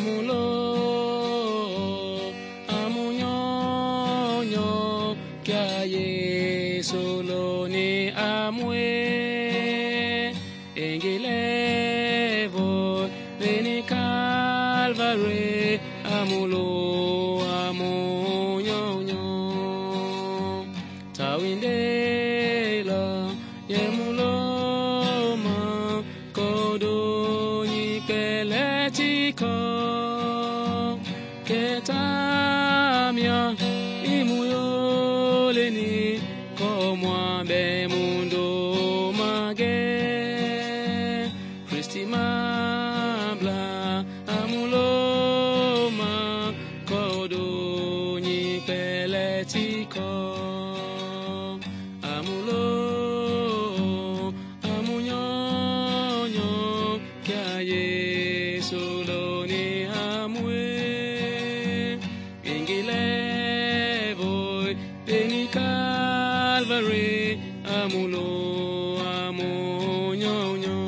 amulo amunyonyo kia Yesu loni amwe engelevo veni Calvary amulo amunyonyo tawindela yemulo ma kodoni peletiko ketamia imuyoleni komwa be mundo mage Christi mabla amuloma kodoni peletiko amulo amunyonyo kia Yesu loni amwe ingelevo veni Calvary amulo amunyonyo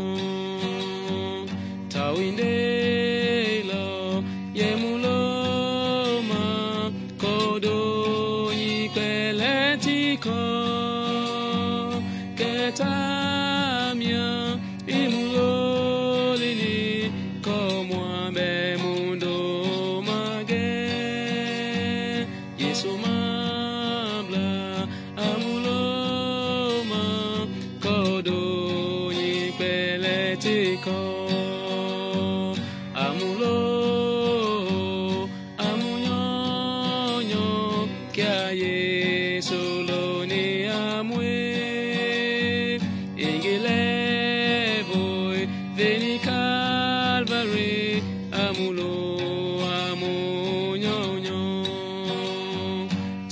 tawindela yemuloma kodoni peletiko ketamia imulolini komwa be mundo mage Yesu mabla amuloma kodoni peletiko amulo amunyonyo kia Yesu loni amwe ingelevo veni Calvary amulo amunyonyo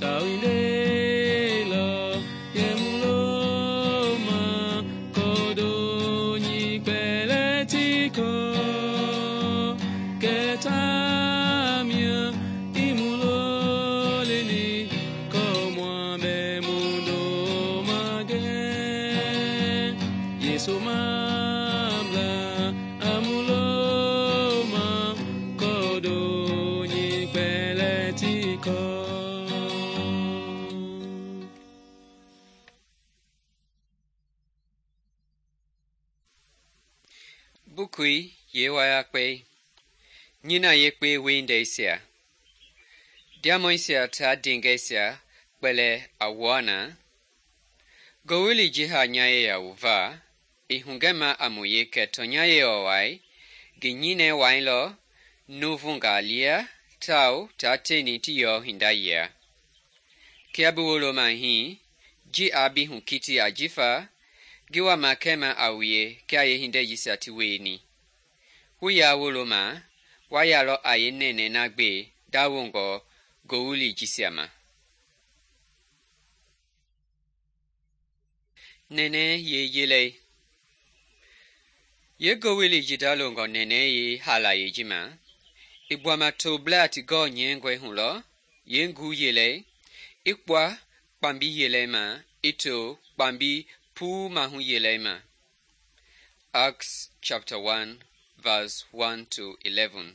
tawindela yemuloma kodoni peletiko ketamia imuloleni komwa be mundo mage Yesu mabla amuloma kodoni peletiko Bukui yewaya kwe Nina yekwe windesia Diamoisia ta dingesia kwele awana Gowili jiha nyaye ya uva ihungema amuye keto nyaye owai ginyine wainlo nuvungalia tau tateni tiyo hindaya Kiabuwolo mahi ji abi hunkiti ajifa giwa makema awie kia ye hinde yisa tiweni Huya woloma wayalo ayenene nagbe dawongo gowuli jisiama Nene ye yele Ye gowili jidalongo nene ye hala ye jima Ibwama to blati go nyengwe hulo yengu yele Ikwa pambi yele ma ito pambi pu mahu yele ma Acts chapter 1 verse 1 to 11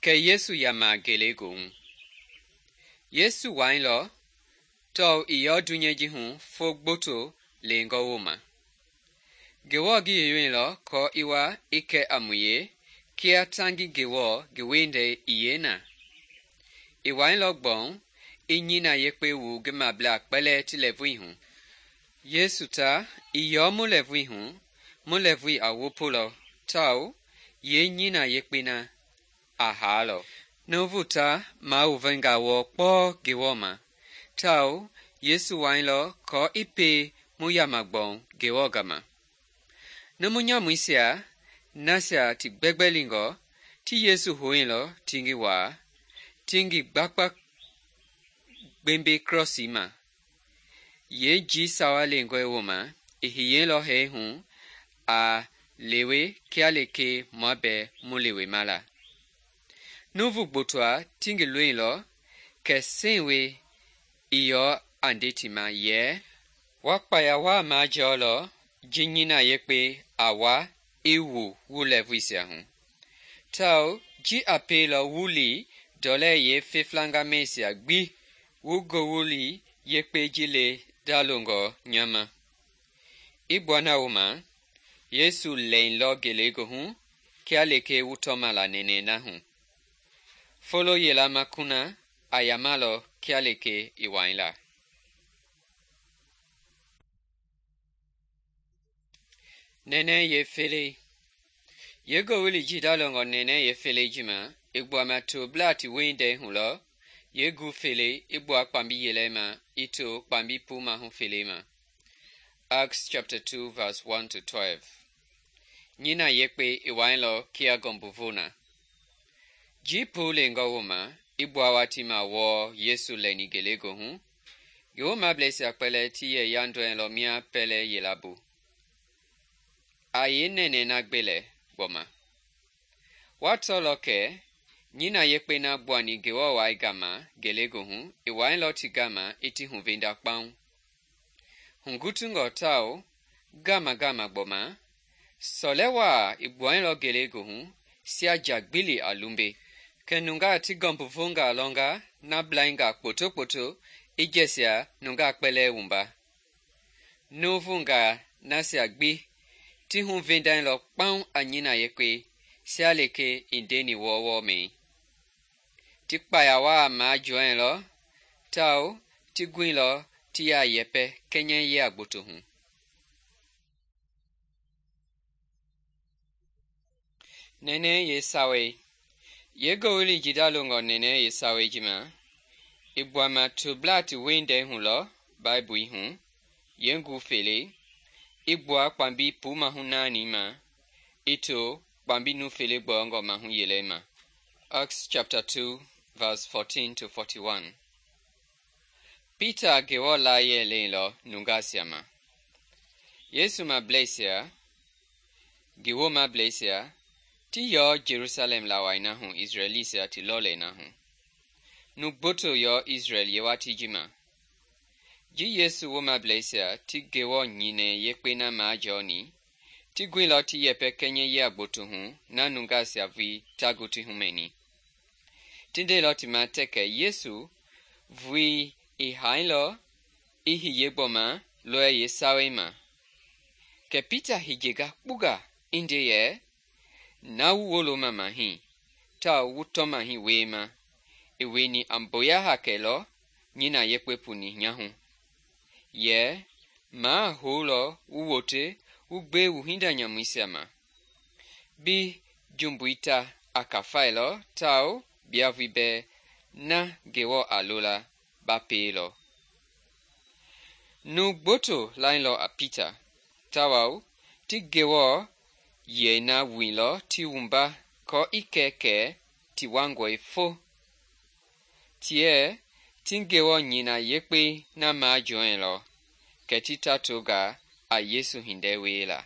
Ke Yesu yama gelegung Yesu wainlo to iyo dunyeji hu fogboto lengo woma Gewo gi yewinlo ko iwa ike amuye kia tangi gewo gewende iyena Iwainlo gbon inyina yekpe wu gema bla kpele tilevui hu Yesu ta iyo mulevui hu mulevui awopolo tau ye nyina yekpina ahalo Novuta mauvenga wo kpo gewoma tau Yesu wainlo ko ipe muyamagbon gewogama Nomunyamuisia nasia ti gbegbelingo ti Yesu hoinlo tingi wa tingi gbakpa gbembe crossima Ye ji sawa lengwe woma ihiyelo he hu a lewe kialeke mobe mulewe mala Novu gbotwa tingi luinlo ke senwe iyo andetima ye wakpaya wa ma jolo jinyina yekpe awa ewu wulevisia hu tawao ji a pielɔ wu li dɔlɛ yeefeflangamɛisia gbi wu Ngowili Yekpei ji le dalongɔ nya ma. I gbua na wooma, Yesu lɛilɔ ngelegoohu kia lekee wu tɔma la nɛnɛɛ na hu. Folo yela ma kuna a yamalɔ kia lekee i waila. Nɛnɛɛ yeefelei. Ye Ngowili ji dalongɔ nɛnɛɛ yeefelei ji ma, i gbuama toblaa ti weindɛi hu lɔ, ye gu felei i gbua kpambi yelei ma i to kpambi pumahu felei ma. Acts chapter 2 verse 1-12. Nyina yekpe i wailɔ kia gɔmbuvo na. Ji pu lengɔ wooma, i gbua watii ma wɔɔ Yesu lɛni ngelegoohu, ngi woomableisia kpɛlɛɛ ti yɛ yandɔɛilɔ mia pɛlɛ yela bu. A yeenɛnɛɛ na gbelɛ gbɔma. Wa tɔlɔ kɛ nyina yekpe na gbuani Ngewɔ wai gama ngelegoohu i wailɔ ti gama i ti huvenda kpaŋ. Hugutungɔ tawao gama gbɔma, sɔlɛ waa i gbuailɔ ngelegoohu sia jagbili a lumbe. Kɛ nungaa ti gɔmbuvongaa lɔnga na blainga kpoto i jɛsia nungaa kpɛlɛɛ wumba. Nuuvungaa nasia gbi ti huvendailɔ kpaŋ a nyina yekpe sia lekee i ndeni wɔɔwɔɔ mɛi. Ti kpaya waa majɔɛilɔ tawao ti guilɔ ti yaa yɛpɛ kɛnyɛ yea gboto hu. Nɛnɛɛ yeesawei. Ye Ngowili ji dalongɔ nɛnɛɛ yeesawei ji ma, i gbuama toblaa ti weindɛi hu lɔ Baibui hu, yengu felei, i gbua kpambi pumahu naani ma i to kpambi nufele gbɔɔngɔ mahu yelei ma. Acts chapter 2 verse 14-41. Peter Ngewɔ laayɛ leilɔ nungaasia ma. Yesu mableisia, ngi woomableisia, ti yɔ Jerusalem lawai na hu Israelisia ti lɔlei na hu. Nu gboto yɔ Israel yewatii ji ma. Ji Yesu woomableisia ti Ngewɔ nyinɛ yekpe na majɔɔni, ti guilɔ ti yɛpɛ kɛnyɛ yea gboto hu na nungaasia vui tagu ti humɛni. Ti ndeilɔ ti ma tɛkɛ Yesu vui i hailɔ i hiye gbɔma lɔɛ yeesawei ma. Kɛ Peter hijega kpuga i nde yɛ, na wu woloma mahi, tawao wu tɔmahi weema, i weni a mboya hakɛ lɔ nyina yekpe puni nyahu. Yɛ, maa houlɔ wu wote wu gbe wu hinda nyamuisia ma. Bi jumbui ta a kafailɔ tawao biavui bɛɛ na Ngewɔ a lola ba peelɔ. Nu gboto lailɔ a Peter, tawao ti Ngewɔ yɛi na wuilɔ ti wumba kɔ i kɛkɛ ti wangɔi fo. Tiɛ ti Ngewɔ nyina yekpe na majɔɛilɔ, kɛ ti tatonga a Yesu hindɛ wiela.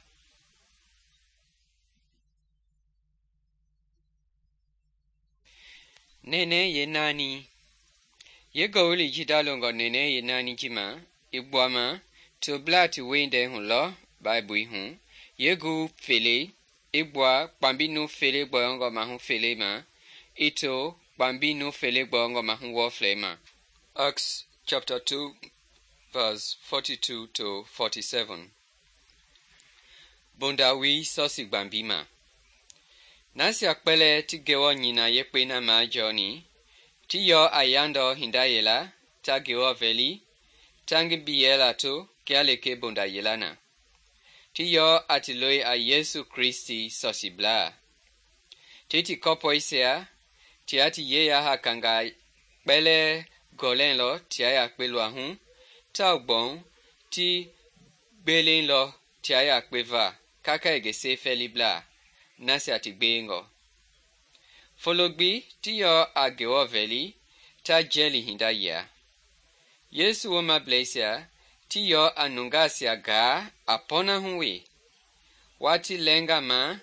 Nɛnɛɛ yeenaani. Ye Ngowili ji dalongɔ nɛnɛɛ yeenaani ji ma, i gbuama toblaa ti weindɛi hu lɔ Baibui hu, ye gu felei, i gbua kpambi nufele gbɔɔngɔ mahu felei ma i to kpambi nufele gbɔɔngɔ mahu wɔflei ma. Acts chapter 2 verse 42-47. Bondawui sɔsi gbambi ma. Nasia kpɛlɛɛ ti Ngewɔ nyina yekpe na majɔɔni, ti yɔ a yandɔ hinda yela ta Ngewɔ vɛli, ta ngi biyɛla to kia lekee bonda yela na. Ti yɔ a ti loi a Yesu Kristi sɔsiblaa. Ti ti kɔpɔisia tia ti yeya hakanga kpɛlɛɛ gɔlɛilɔ tia yakpe luahu, tawao gbɔŋ ti gbelelɔ tia yakpe va kaka egese fɛliblaa nasia ti gbeengɔ. Fologbi ti yɔ a Ngewɔ vɛli ta jɛli hinda yia. Yesu woomableisia ti yɔ a nungaasia gaa a pɔnahu we. Wati lɛnga ma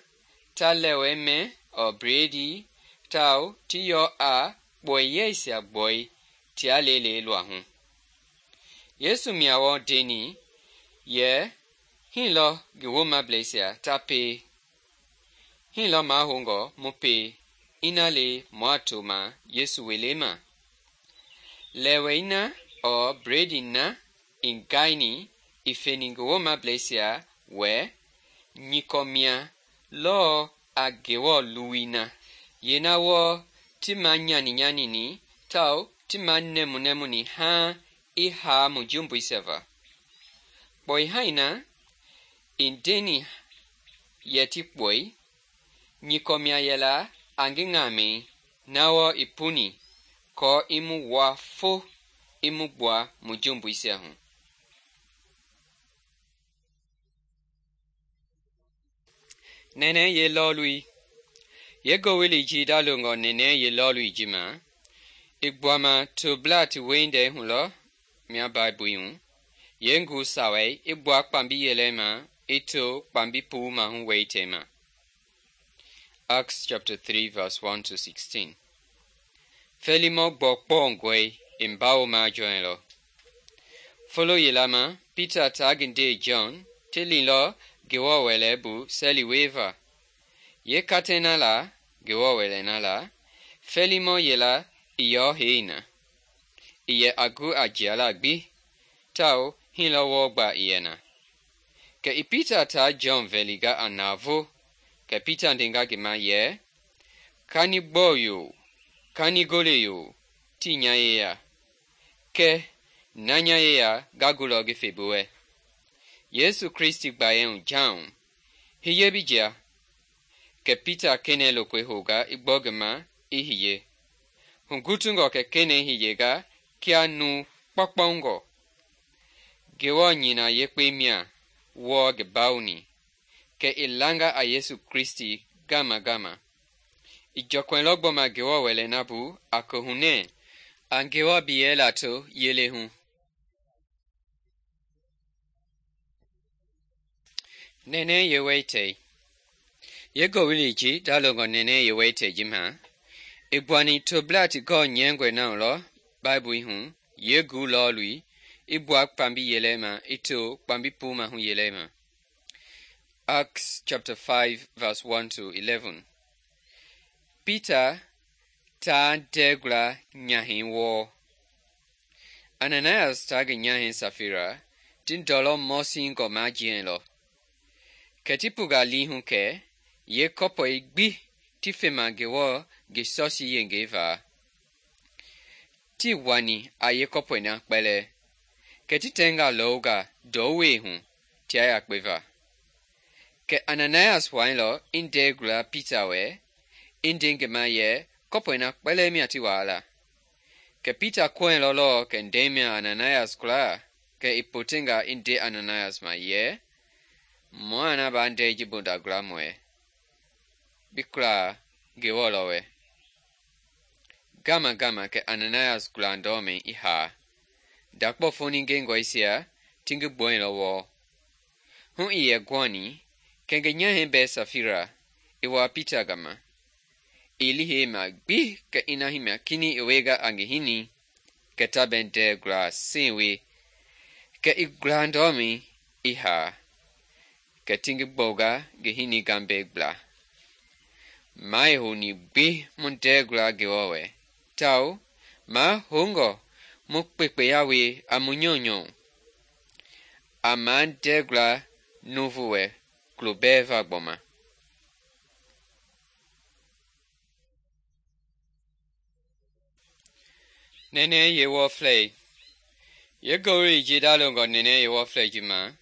ta lɛwɛ mɛ ɔ bredi, tawao ti yɔ a kpɔiyɛisia gbɔi tia lele luahu. Yesu miawɔ deni yɛ, hinlɔ ngi woomableisia ta pee. hii lɔ mahoungɔ mu pei ina le mua toma Yesu welei ma. Lɛwɛi na ɔɔ bredi na i gaini i feni ngi woomableisia wɛ nyikɔ mia lɔɔ a Ngewɔ luwui na. Yeena wɔɔ ti ma nyani-nyanini tawao ti ma nɛmu-nɛmuni haaŋ i haa mu jumbuisia va. Kpɔi hai na i ndeni yɛ ti kpɔi, nyikɔ mia yɛla a ngi ŋamɛi na wɔɔ i puni kɔɔ i mu wua fo i mu gbua mu jumbuisia hu. Nɛnɛɛ ye lɔɔlui. Ye ngowili ji dalongɔ nɛnɛɛ ye lɔɔlui ji ma, i gbuama toblaa ti weindɛi hu lɔ mia Baibui hu. Ye nguu sawai i gbua kpambi yɛlɛi ma i to kpambi puu mahu weitɛi ma. Acts chapter 3 verse 1-16. Fɛlimɔ gbɔ kpɔngɔi i mbawo majɔɛilɔ. Folo yela ma, Peter taa ngi ndei John ti lilɔ Ngewɔ Wɛlei bu seli wieva. Ye katei na la, Ngewɔ Wɛlei na la, fɛlimɔ yela i yɔ hei na. I yɛ a gu a jiala gbi, tawao hii lɔ wɔɔ gba i yɛ na. Kɛ i Peter taa John vɛlinga a navoo, kɛ Peter ndenga ngi ma yɛ, "Kani gbɔɔ yoo, kani gole yoo, tii nya yeya. Kɛ na nya yeya nga gulɔ ngi fe bi wɛ. Yesu Kristi gbayei hu jaŋ, hiye bi jia." Kɛ Peter kenɛi lokoi hounga i gbɔ ngi ma i hiye. Hugutungɔ kɛ kenɛi hiyenga kia nuu kpɔkpɔngɔ. Ngewɔ nyina yekpei mia wɔɔ ngi bawoni, kɛ i langa a Yesu Kristi gama-gama. I jɔkpɛilɔ gbɔma Ngewɔ Wɛlei na bu a kohunɛ a Ngewɔ biyɛ lato yele hu. Nɛnɛɛ ye weitɛi. Ye ngowili ji dalongɔ nɛnɛɛ ye weitɛi ji ma, i gbuani toblaa ti gɔɔ nyɛngɔi na lɔ Baibui hu, ye nguu lɔɔlui, i gbua kpambi yɛlɛi ma i to kpambi puu mahu yɛlɛi ma. Acts chapter 5 verse 1-11. Peter taa ndɛɛgula nyahɛi wɔɔ. Ananias taa ngi nyahɛi Safira ti ndɔlɔ mɔsingɔ majiɛilɔ. Kɛ ti puga lii hu kɛ ye kɔpɔi gbi ti fema Ngewɔ ngi sɔsi yengei va. Ti wani a ye kɔpɔi na kpɛlɛ, kɛ ti tɛnga lɔunga ndɔwei hu tia yakpe va. Kɛ Ananias wailɔ i ndɛɛgula Peter wɛ, i nde ngi ma yɛ kɔpɔi na kpɛlɛ mia ti waala. Kɛ Peter kɔɛilɔ lɔɔ kɛ ndɛi mia Ananias kulaa, kɛ i potenga i nde Ananias ma yɛ, "Mua na ba ndɛi ji bondagula mɔɛ. Bi kulaa Ngewɔ lɔ wɛ." Gama-gama kɛ Ananias gulandɔmɛi i haa. Dakpɔ foni ngengɔisia ti ngi gbɔilɔ wɔɔ. Hu i yɛ guani, kɛ ngi nyahɛi bɛɛ Safira i waa Peter gama. I lihei ma gbi kɛ ina himia kini i wega a ngi hini, kɛ ta bɛ ndɛɛgula sewe, kɛ i gulandɔmɛi i haa, kɛ ti ngi gbɔuga ngi hini gambɛi gbla. Ma i houni gbi mu ndɛɛgula Ngewɔ wɛ, tawao ma houngɔ mu kpekpeya we a mu nyɔnyɔ. A ma ndɛɛgula nuvu wɛ kulo bɛɛ va gbɔma. Nɛnɛɛ ye wɔflɛi. Ye ngowili ji dalongɔ nɛnɛɛ ye wɔflɛi ji ma,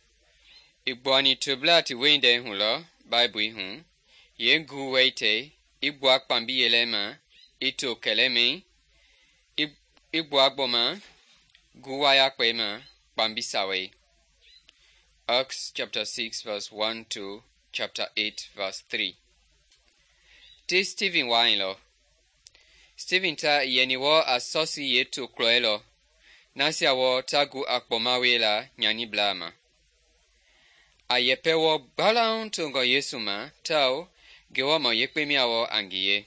i gbuani toblaa ti weindɛi hu lɔ Baibui hu, ye nguu weitɛi i gbua kpambi yɛlɛi ma i to kɛlɛmɛi, i gbua gbɔma nguu wayakpɛi ma kpambi sawai. Acts chapter 6 verse 1-chapter 8 verse 3. Ti Stephen wailɔ. Stephen ta i yɛni wɔ a sɔsi ye to klɔɛlɔ, nasia wɔ ta gu a kpɔmawe la nyaniblaa ma. A yɛpɛ wɔ gbalaŋ tongɔ Yesu ma, tawao Ngewɔ mɔ yekpe mia wɔ a ngiye.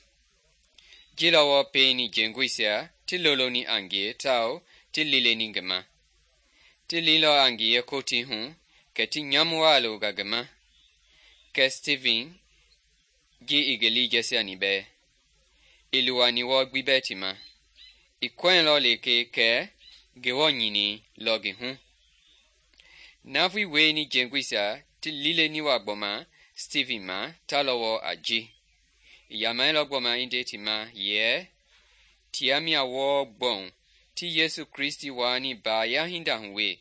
Ji lɔ wɔ peini jenguisia ti loloni a ngiye tawao ti lileni ngi ma. Ti lilɔ a ngiye koti hu, kɛ ti nyamu waa longa ngi ma. Kɛ Stephen ji i ngi lii jɛsiani bɛɛ. I luwani wɔɔ gbi bɛɛ ti ma. I kɔɛilɔ lekee kɛ Ngewɔ nyini lɔ ngi hu. Navoi wieni jɛngɔisia ti liileni wa gbɔma Steven ma ta lɔ wɔɔ a ji. I yamailɔ gbɔma i nde ti ma yɛ tia mia wɔɔ gbɔu ti Yesu Kristi waani baaya hinda hu we.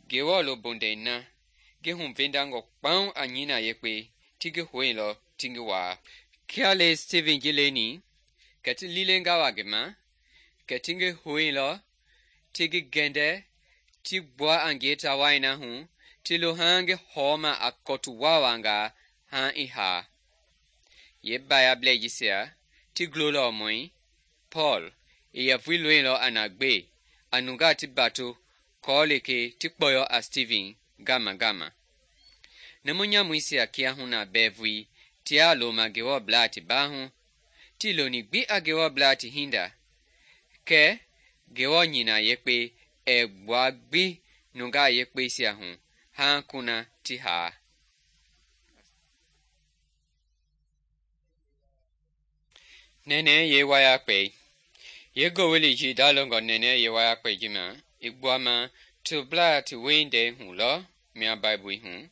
Ngewɔ lobondɛi na ngi huvendangɔ kpaŋ a nyina yekpe ti ngi hoilɔ ti ngi waa. Kia le Steven ji leni, kɛ ti liilenga wa ngi ma, kɛ ti ngi hoilɔ ti ngi gɛndɛ ti gbua a ngie ta wai na hu ti lo haaŋ ngi hɔɔma a kɔtu waawaangaa haaŋ i haa. Ye baayablɛi jisia ti gulolɔ mɔi, Paul i yɛ vui loilɔ a na gbe a nungaa ti bato kɔɔ lekee ti kpɔyɔ a Steven gama. Numu nyamuisia kiahuna bɛɛ vui tia loma Ngewɔ blaa ti baahu, ti loni gbi a Ngewɔ blaa ti hinda, kɛ Ngewɔ nyina yekpe ɛɛ gbua gbi nungaa yekpeisia hu haaŋ kuna ti haa. Nɛnɛɛ ye wayakpɛi. Ye gowili ji dalongɔ nɛnɛɛ ye wayakpɛi ji ma, i gbuama toblaa ti weindɛi hu lɔ mia Baibui hu.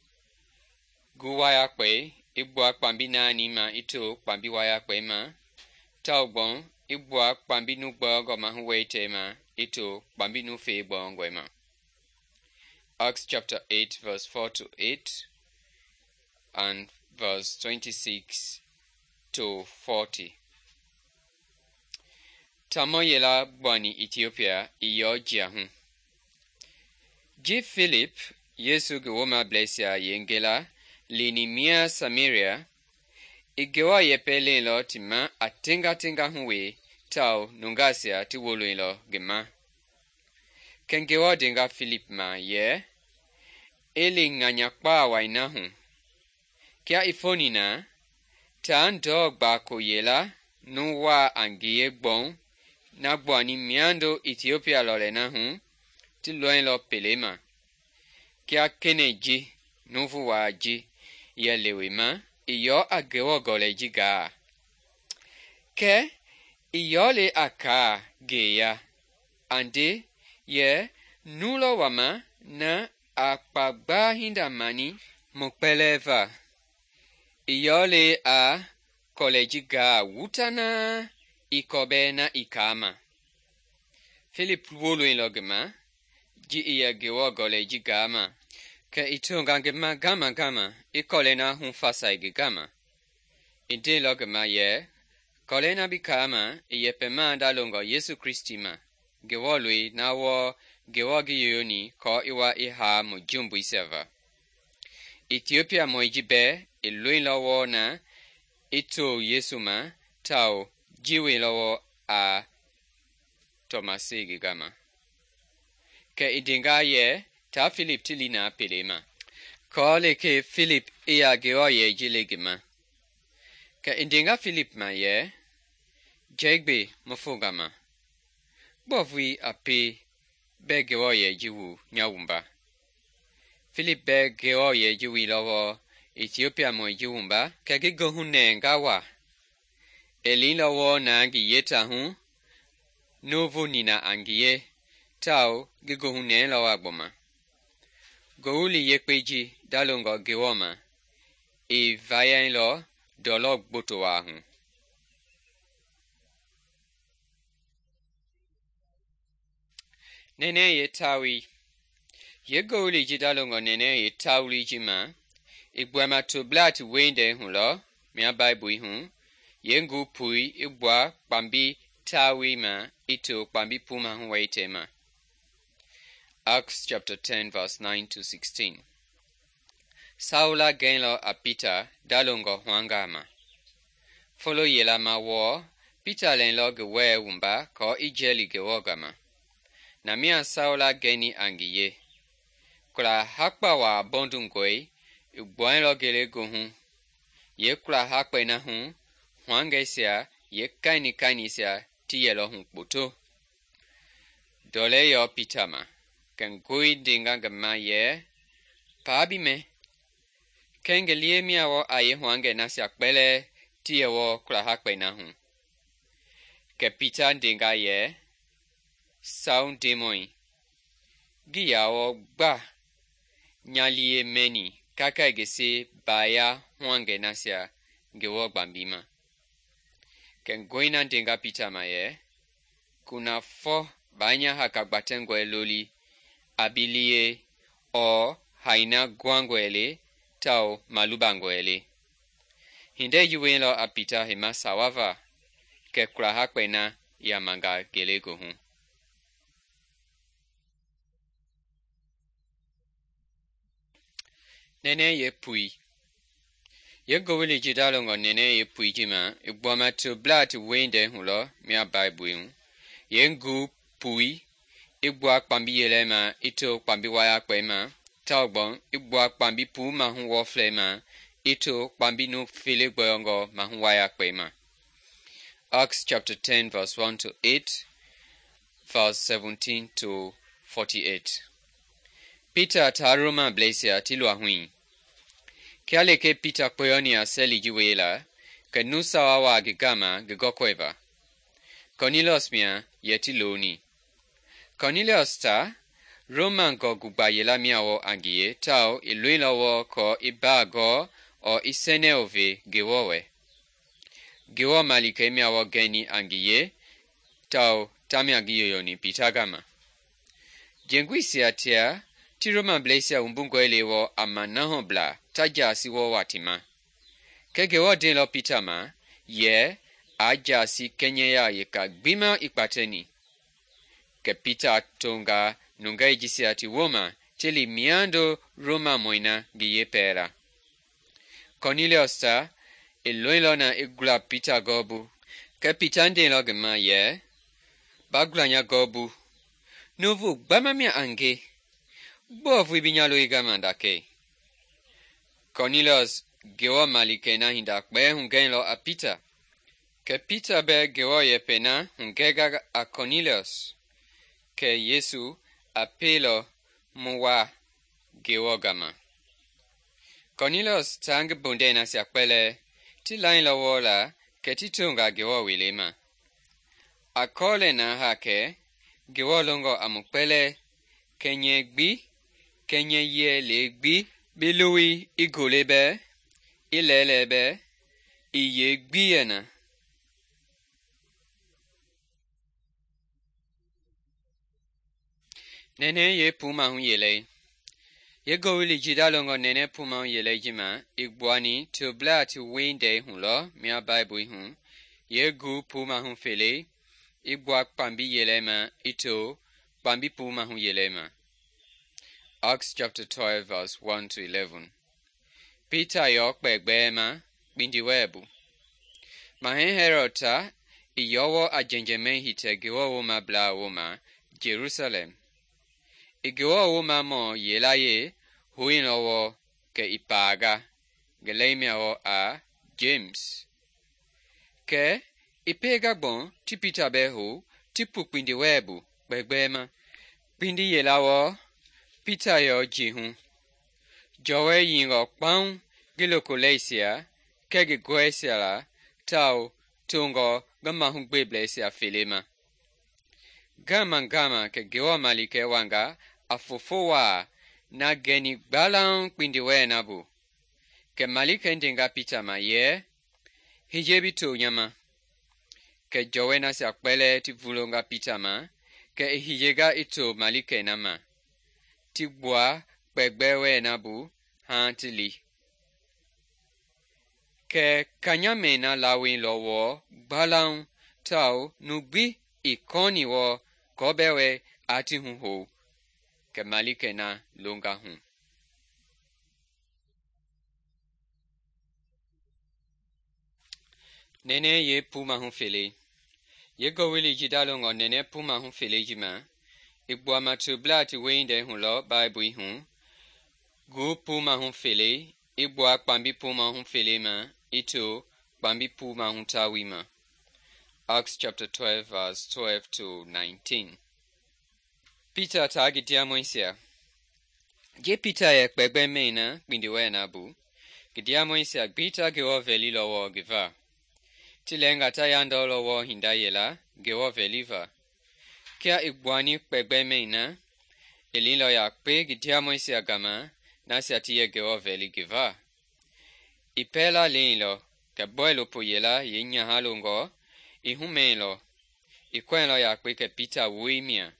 Gu wayakpɛi i gbua kpambi naani ma i to kpambi wayakpɛi ma, tau gbɔŋ i gbua kpambi nu gbɔɔngɔ ma hu weitɛi ma i to kpambi nu fei gbɔɔngɔi ma. Acts chapter 8 verse 4 to 8 and verse 26 to 40. Tamɔ yela gbuani Ethiopia i yɔ jia hu. Ji Philip, Yesu ngi womablɛisia yengela lini mia Samaria, i Ngewɔ yɛpɛ leenlɔ ti ma a tenga hu we tau nungaasia ti woloilɔ ngi ma. Kɛ Ngewɔ denga Philip ma yɛ, e li ŋanya kpaa wai na hu. Kia i foni na, taa ndɔɔ gbako yela nu waa a ngie gbɔŋ na gbuani miando Ethiopia lɔlɛ na hu ti lɔilɔ pele ma. Kia kene ji nuvu waa ji yɛ lewe ma, i yɔ a Ngewɔ gɔlɛi ji gaa. Kɛ i yɔ le a kaa ngeya, ande yɛ nu lɔ wama na a kpagbaa hinda mani mu kpɛlɛɛ va. I yɔ le a kɔlɛi ji gaa wutanaa i kɔbɛɛ na i kaa ma. Philip woloilɔ ngi ma, ji i yɛ Ngewɔ gɔlɛi ji gaa ma, kɛ i tonga ngi ma gama i kɔlɛi na hu fasai ngi gama. I ndeilɔ ngi ma yɛ, kɔlɛi na bi kaa ma i yɛpɛmaa dalongɔ Yesu Kristi ma, Ngewɔ loi na wɔɔ Ngewɔ ngi yoyoni kɔɔ i wa i haa mu jumbuisia va. Ethiopia mɔi ji bɛɛ i loilɔ wɔɔ na i to Yesu ma tau ji weilɔ wɔɔ a Tɔmasi ngi gama. Kɛ i denga yɛ taa Philip ti li na pele ma, kɔɔ lekee Philip i ya Ngewɔ yɛi ji le ngi ma. Kɛ i denga Philip ma yɛ, jɛigbe mu fonga ma, gbɔvui a pee bɛ Ngewɔ yɛi ji wu nya wumba. Philip bɛ Ngewɔ yɛi ji wuilɔ wɔɔ Ethiopia mɔi ji wumba, kɛ ngi gohu nɛɛ nga wa. E liilɔ wɔɔ na ngi yeta hu, nuvu nina a ngie, tau ngi gohu nɛɛlɔ wa gbɔma. Gowuli yekpe ji dalongɔ Ngewɔ ma, i vayailɔ dɔlɔ gboto waa hu. Nɛnɛɛ ye tawi. Ye gowuli ji dalongɔ nɛnɛɛ ye tawuli ji ma, i gbuama toblaa ti weindɛi hu lɔ mia Baibui hu, ye ngu pui i gbua kpambi tawi ma i to kpambi puma hu weitɛi ma. Acts chapter 10 verse 9 to 16. Saula gɛnlɔ a Peter dalongɔ hwanga ma. Folo yela ma wɔɔ, Peter lɛnlɔ ngi wɛɛ wumba kɔɔ i jɛli Ngewɔ gama. Na mia Saula gɛni a ngi ye. Kula hakpa waa bɔndungɔi, i gbuailɔ ngelegohu. Ye kula hakpɛi na hu, hwangɛisia ye kainisia ti yɛlɔ hu kpoto. Dɔlɛ yɔ Peter ma, kɛ ngoi denga ngi ma yɛ, paa bi mɛ. Kengelie miawo aye huange nasia kpɛlɛ ti yɛwɔ kulahakpɛi na hu. Kɛ Pita ndenga yɛ, Sawu Ndemɔi, ngi yawɔ gba nya liye mɛni kakai gese baaya huange nasia Ngewɔ gbambima. Kɛ ngɔi na ndenga Pita ma yɛ, kunafɔ baa nya haka gbatɛngɔe loli a bi liye ɔɔ hai na guangɔe le tao malubangɔe le. Hindei ji wielɔ a Pita hema sawava kɛ kulahakpɛi na yamanga ngelegoohu. Nɛnɛ ye pui. Ye gowili jida longɔ nɛnɛ ye pui ji ma, i gbuama to bla ti weindɛ hu lɔ mia Baibui hu. Ye ngu pui, i gbua kpambi yelɛ ma i to kpambi wayakpɛi ma, tao gbɔn i gbua kpambi puu mahu wɔflɛi ma i to kpambi nu fele gbɔyɔngɔ mahu wayakpɛi ma. Acts chapter 10 verse 1 to 8, verse 17 to 48. Peter taa Roma blɛisia ti lua hui. Kia leke Peter kpɔyɔni a sɛli ji wei la, kɛ nu sawa waa ngi gama ngi gɔkɔi va. Cornelius mia yɛ ti looni. Cornelius ta Roma ngɔ gugba yela mia wɔ a ngi ye tao i loilɔ wɔ kɔ i baa gɔɔ ɔɔ i sɛnɛ o ve Ngewɔ wɛ. Ngewɔ malikei mia wɔ gɛni a ngi ye tao ta mia ngi yoyoni Peter gama. Jenguisia tia ti Roma blɛisia wumbungɔe le wɔ a ma nahɔ bla ta jaasi wɔ wati ma. Kɛ Ngewɔ denlɔ Peter ma yɛ a jaasi kɛnyɛya yeka gbima i kpatɛni. Kɛ Peter tonga nungei jisia ti woma ti li miando Roma mɔina ngi ye pɛɛla. Cornelius ta i loilɔ na i gula Peter gɔɔbu. Kɛ Peter ndenlɔ ngi ma yɛ, ba gula nya gɔɔbu, nuvu gbama mia a nge, gbɔɔ vui bi nya loi gama ndakei. Cornelius Ngewɔ malikei na hinda kpɛɛ hugɛilɔ a Peter. Kɛ Peter bɛ Ngewɔ yɛpɛ na hugɛga a Cornelius. Kɛ Yesu a peelɔ mu waa Ngewɔ gama. Cornelius taa ngi bondɛi nasia kpɛlɛɛ ti lailɔ wɔ la kɛ ti tonga Ngewɔ wele ma. A kɔɔlɛ na ha kɛ Ngewɔ longɔ a mu kpɛlɛɛ, kɛnyɛ gbi, kɛnyɛ yɛ le gbi, bi lowi i gole bɛ, i lɛɛlɛɛ bɛ, i ye gbi yɛ na. Nɛnɛ ye pumahu yelei. Ye gowili jida longɔ nɛnɛ pumahu yelei ji ma, i gbuani to bla ti weindɛi hu lɔ mia Baibui hu. Ye gu pumahu felei, i gbua kpambi yelɛ ma i to kpambi pumahu yelɛ ma. Acts chapter 12 verse 1 to 11. Peter yɔ kpɛgbɛɛ ma kpindi wɛɛbu. Mahɛ Herod ta i yɔwɔ a jɛnjɛmɛi hitɛ Ngewɔ woma bla woma Jerusalem. I Ngewɔ woma mɔ yela ye huilɔ wɔ kɛ i paaga, ngi lɛi mia wɔ a James. Kɛ i peega gbɔn ti Peter bɛ hu ti pu kpindi wɛɛbu kpɛgbɛɛ ma. Kpindi yela wɔ Peter yɔ ji hu. Jɔwɛ yingɔ kpaŋ ngi loko lɛisia kɛ ngi gɔɛisia la tao tongɔ ngi mahu gbeblɛisia fele ma. Gama kɛ Ngewɔ malikɛ wanga a fofo waa na gɛni gbalaŋ kpindi wɛɛ na bu. Kɛ malikɛ ndenga Peter ma yɛ, hije bi to nya ma. Kɛ jɔwɛ nasia kpɛlɛɛ ti vulonga Peter ma, kɛ i hijega i to malikɛ na ma. Ti gbua kpɛgbɛɛ wɛɛ na bu haa ti li. Kɛ kanyamɛi na lawelɔ wɔ gbalaŋ tao nu gbi i kɔni wɔ kɔbɛ wɛ a ti hu hou. Kɛ malikɛ na longa hu. Nɛnɛ ye pumahu felei. Ye gowili jida longɔ nɛnɛ pumahu felei ji ma, i gbuama to bla ti weindɛi hu lɔ Baibui hu. Gu pumahu felei, i gbua kpambi pumahu felei ma i to kpambi pumahu tawi ma. Acts chapter 12 verse 12 to 19. Peter taa ngi diamɔisia. Je Peter yɛ kpɛgbɛ mɛi na kpindi wɛɛ na bu, ngi ndiamɔisia gbi ta Ngewɔ vɛlilɔ wɔɔ ngi va. Ti lɛɛnga ta yandɔlɔ wɔɔ hinda yɛla Ngewɔ vɛliva. Kia i gbuani kpɛgbɛmɛi na, i liilɔ yakpe ngi ndiamɔisia gama nasia ti yɛ Ngewɔ vɛli ngi va. I pɛɛla leilɔ kɛ bɔilopo yɛla yeenyaha longɔ i humɛilɔ. I kɔɛilɔ yakpe kɛ Pita woi mia,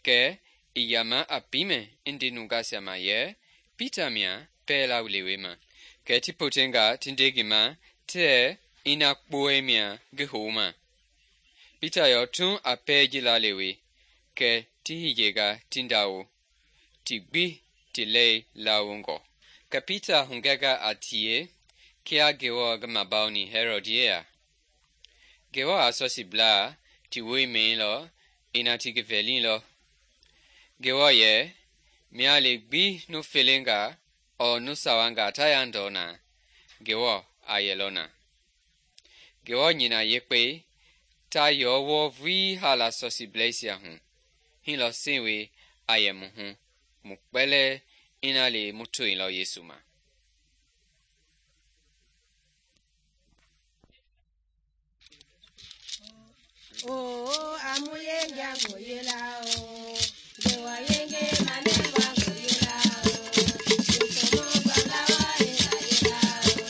kɛ i yama a piimɛ i nde nungasia ma yɛ Pita mia pɛɛla lewema. Kɛ ti potenga ti nde ngi ma tɛɛ ina kpowɛi mia ngi houma. Pita yɔ tun a pɛɛ ji la lewe, kɛ ti hiyenga ti ndawo, ti gbi ti lɛi lawongɔ. Kɛ Pita hugɛnga a tie kia Ngewɔ ngi mabauni Herod yeya. Ngewɔ a sɔsiblaa ti woi mɛilɔ ina ti ngi vɛlilɔ. Ngewɔ yɛ, mia le gbi nu felenga ɔɔ nu sawanga ta yandɔ na, Ngewɔ a yɛlɔ na. Ngewɔ nyina yekpei ta yɔ wɔɔ vulii haala sɔsibleisia hu. Hilɔ sewe a yɛ mu hu, mu kpɛlɛɛ ina le mu toilɔ Yesu ma. Oh, amuye njango yela o, dewa yenge manengwa yela o, yukomo balawa yela o,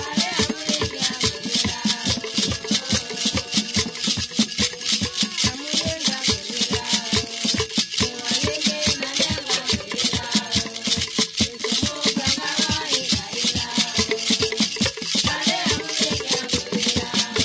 ale amuye njango yela o, amuye njango yela o, dewa yenge manengwa yela o, yukomo balawa yela o, ale amuye njango yela o.